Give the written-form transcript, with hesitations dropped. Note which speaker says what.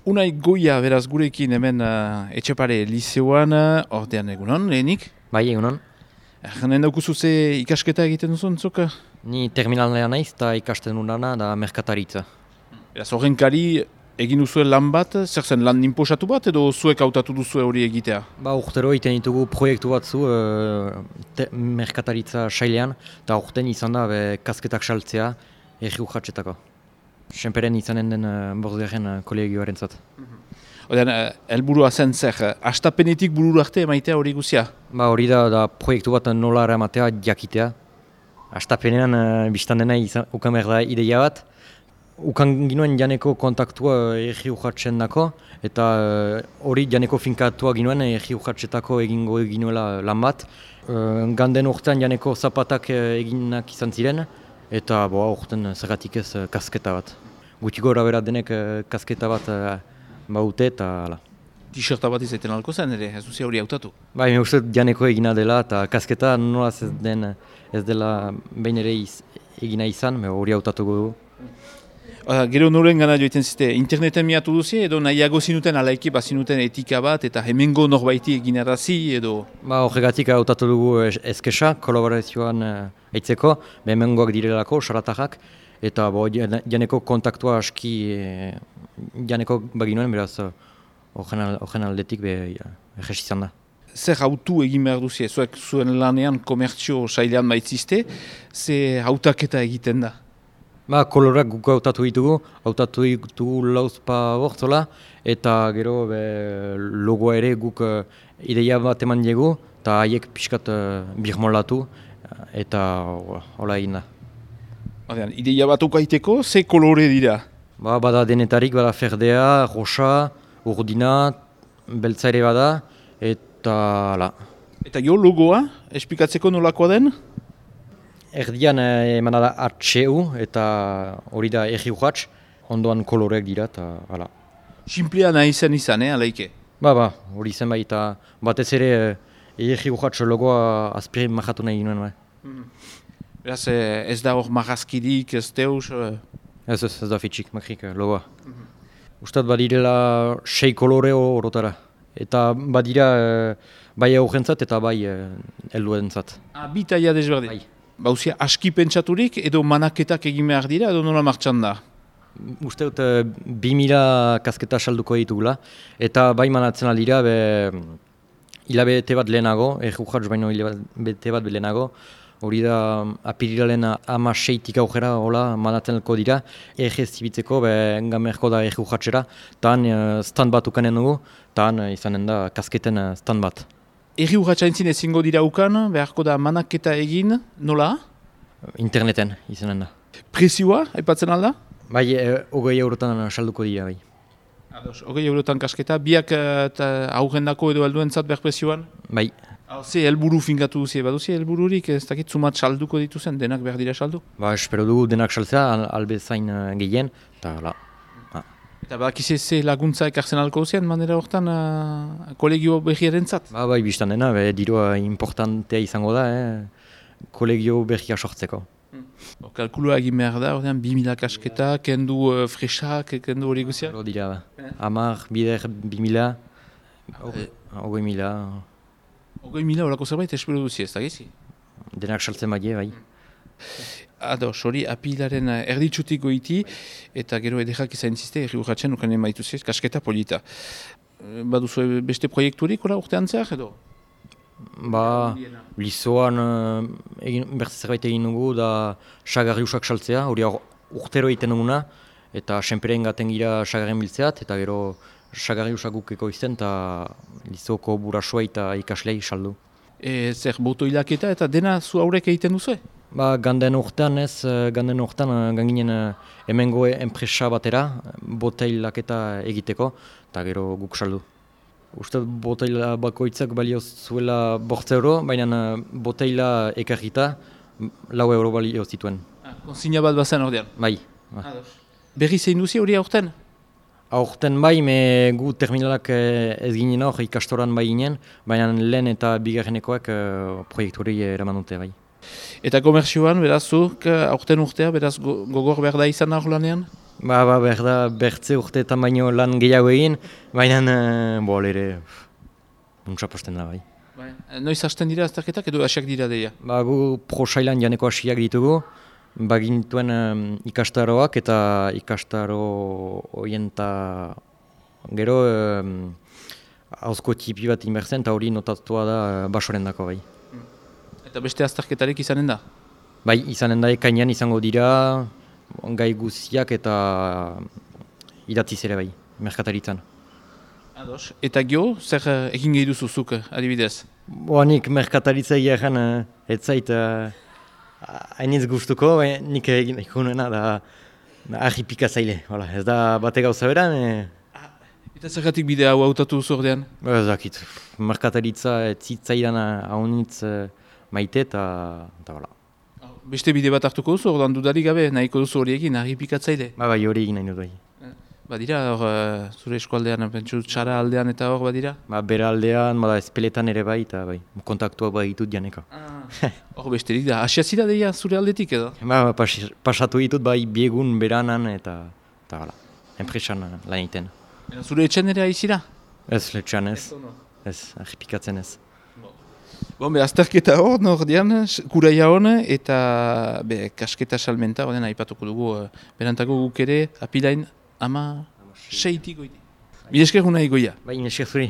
Speaker 1: Unai Goia, beraz gurekin hemen Etxepare liceoan, ordean egunon, lehenik?
Speaker 2: Bai, egunon.
Speaker 1: Janen daukuzu ze ikasketa egiten duzun, zuk?
Speaker 2: Ni terminalea naiz eta ikasten unana da merkataritza.
Speaker 1: Beraz, horrenkari egin duzue lan bat, zer zen lan inposatu bat edo zuek hautatu duzue hori egitea?
Speaker 2: Urtero egiten ditugu proiektu batzu merkataritza sailean, eta urten izan da kasketak saltzea erri urratxetako. Senperen izanen den bosgarren kolegioaren zat.
Speaker 1: Odean, helburua zen zer, astapenetik burura arte emaitea hori guzia?
Speaker 2: Hori da proiektu bat nola eramatea jakitea. Astapenean biztan dena ukan behar da ideia bat. Ukan ginuen janeko kontaktua erri urratzen dako, eta hori janeko finkatua ginuen erri urratzetako egingo ginuela lan bat. Ganden urtean janeko zapatak eginak izan ziren, eta urten zergatik ez kasketa bat. Guti gora bera denek kasketa bat baute eta hala.
Speaker 1: T-shirta bat izaiten alko zen ere, ez duzia hori hautatu?
Speaker 2: Me uste janeko egina dela eta kasketa nolaz ez dela behin ere egina izan, hori hautatuko dugu.
Speaker 1: Gero noren gana joiten zite, interneten miatu duzi edo nahiago zinuten alaiki bazinuten etika bat eta hemengo norbaiti eginarazi edo?
Speaker 2: Horregatik hautatu dugu eskesa, kolaborazioan eitzeko, hemengoak direlako, saratajak, eta janeko kontaktua aski janeko baginuen, beraz horren aldetik egez izan da.
Speaker 1: Zer hautu egin behar duzi, zuek zuen lanean komertzio sailean baitzizte, ze hautaketa egiten da?
Speaker 2: Kolorak guk hautatu ditugu lauzpa bortzola, eta gero logoa ere guk ideia bat eman diegu, eta haiek pixkat birmolatu, eta hola egin da.
Speaker 1: Ideia bat ukaiteko, ze kolore dira?
Speaker 2: Bada denetarik, bada ferdea, rosa, urdina, beltza ere bada, eta hala.
Speaker 1: Eta jo logoa, esplikatzeko nolakoa den?
Speaker 2: Erdian emana da HU eta hori da erri urratx, ondoan koloreak dira eta hala.
Speaker 1: Simplea nahi izan, alaike?
Speaker 2: Hori zen bai eta batez ere erri urratx logoa azpiri majatu nahi ginoen bai.
Speaker 1: Beraz ez da hor marrazkirik, ez deus?
Speaker 2: Ez da fitxik, makrik logoa. Ustat badirela 6 kolore horotara. Eta badira bai aurrentzat eta bai helduentzat.
Speaker 1: Bi taia desberdin?
Speaker 2: Bai.
Speaker 1: Bauzia aski pentsaturik edo manaketak egin behar dira edo nola martxan da?
Speaker 2: Uste dut 2000 kasketa salduko ditugula eta bai manatzen aldira hilabete bat lehenago, errujatz baino hilabete bat lehenago, hori da apirilaren 16tik aurrera manatzen dira, egez zibitzeko gamerko da errujatzera, eta stand bat ukanen dugu, eta izanen da kasketen stand bat.
Speaker 1: Erri urratxaintzin ezingo dira ukan, beharko da manaketa egin, nola?
Speaker 2: Interneten izanen da.
Speaker 1: Prezioa, aipatzen alda?
Speaker 2: Bai, 20 eurotan salduko dira, bai.
Speaker 1: 20 eurotan kasketa, biak aurrendako edo helduentzat behar prezioan?
Speaker 2: Bai.
Speaker 1: Ze helburu finkatu duzie, baduzi helbururik, ez dakit zumat salduko dituzen, denak behar dira saldu?
Speaker 2: Espero dugu denak saltzea, albezain gehien, eta hala.
Speaker 1: Eta bakize ze laguntza ekartzen alko duzien, manera horretan kolegio berriaren zat?
Speaker 2: Bai, biztan dena, dirua importantea izango da, kolegio berria sortzeko.
Speaker 1: Kalkulua egin behar da, ordean 2000 kasketa, kendu fresak, kendu hori guzia?
Speaker 2: Hori dira, hamar, bider, 2000, 20.000.
Speaker 1: 20.000 horako zerbait espero duzi, ez da gezi?
Speaker 2: Denak saltzen badie, bai.
Speaker 1: Hori apilaren erditsutik goiti, eta gero edekak izan ziste, erri urratzen ukanen maituzi, kasketa polita. Baduzu beste proiekturik, urtean zehar edo?
Speaker 2: Lizoan bertze zerbait egin dugu, da sagarriusak saltzea, hori urtero egiten duguna, eta senperen gaten gira sagarren biltzeat, eta gero sagarriusak gukeko izten, eta lizoko burasua eta ikaslei saldu.
Speaker 1: Zer boto hilaketa eta dena zu haurek egiten duzu?
Speaker 2: Ganden urtean ganginen hemengo enpresa batera, boteilaketa egiteko, eta gero guk saldu. Uste boteila bakoitzak balio zuela 8 euro, baina boteila ekarrita 4 euro balio zituen.
Speaker 1: Konsigna bat bazen ordean?
Speaker 2: Bai.
Speaker 1: Berri zein duzi hori aurten?
Speaker 2: Aurten bai, gu terminalak ez ginen hor ikastoran bai ginen, baina lehen eta bigarrenekoak proiektuari eraman dute bai.
Speaker 1: Eta komerzioan, beraz, aurten urtea, beraz, gogor behar da izan hor lanean?
Speaker 2: Behar da, bertze urteetan baino lan gehiago egin, baina ere, untsa posten da bai.
Speaker 1: Noiz hasten dira azterketak edo hasiak dira deia?
Speaker 2: Gu prosailan janeko hasiak ditugu, bagintuen ikastaroak eta ikastaro horien eta gero hauzko tipi bat inbertzen eta hori notatua da basoren dako bai.
Speaker 1: Eta beste azterketarik izanen da?
Speaker 2: Bai, izanen da ekainean izango dira gai guziak eta idatziz ere bai, merkataritzan.
Speaker 1: Ados. Eta gio, zer egin gehi duzuzuk adibidez?
Speaker 2: Nik merkataritza egiaren ez zait hainitz gustuko, nik egin ikunena da ahipikatzaile. Ez da bate gauza beran.
Speaker 1: Eta zergatik bide hau hautatu duzu ordean?
Speaker 2: Ez dakit, merkataritza ez zitzaidan haunitz maite eta bala.
Speaker 1: Beste bide bat hartuko duzu, ordan dudarik gabe nahiko duzu hori egin, ahipikatzaile?
Speaker 2: Bai, hori egin nahi dut bai.
Speaker 1: Badira, zure eskualdean, pentsu txara aldean eta hor badira?
Speaker 2: Bera aldean, espeletan ere bai, eta bai, kontaktua bai ditut janeka.
Speaker 1: Hor besterik da, asiazira deia zure aldetik edo?
Speaker 2: Pasatu ditut bai biegun beranan eta hala, enpresan lan egiten.
Speaker 1: Zure etxen ere aizira?
Speaker 2: Ez, etxean ez, ahipikatzen ez.
Speaker 1: Azterketa hor, nordean, kuraia hon, eta kasketa salmenta, horren aipatuko dugu, berantako guk ere, apilain, 16 goiti. Bidesker guna egoia.
Speaker 2: Bai, nesker zuri.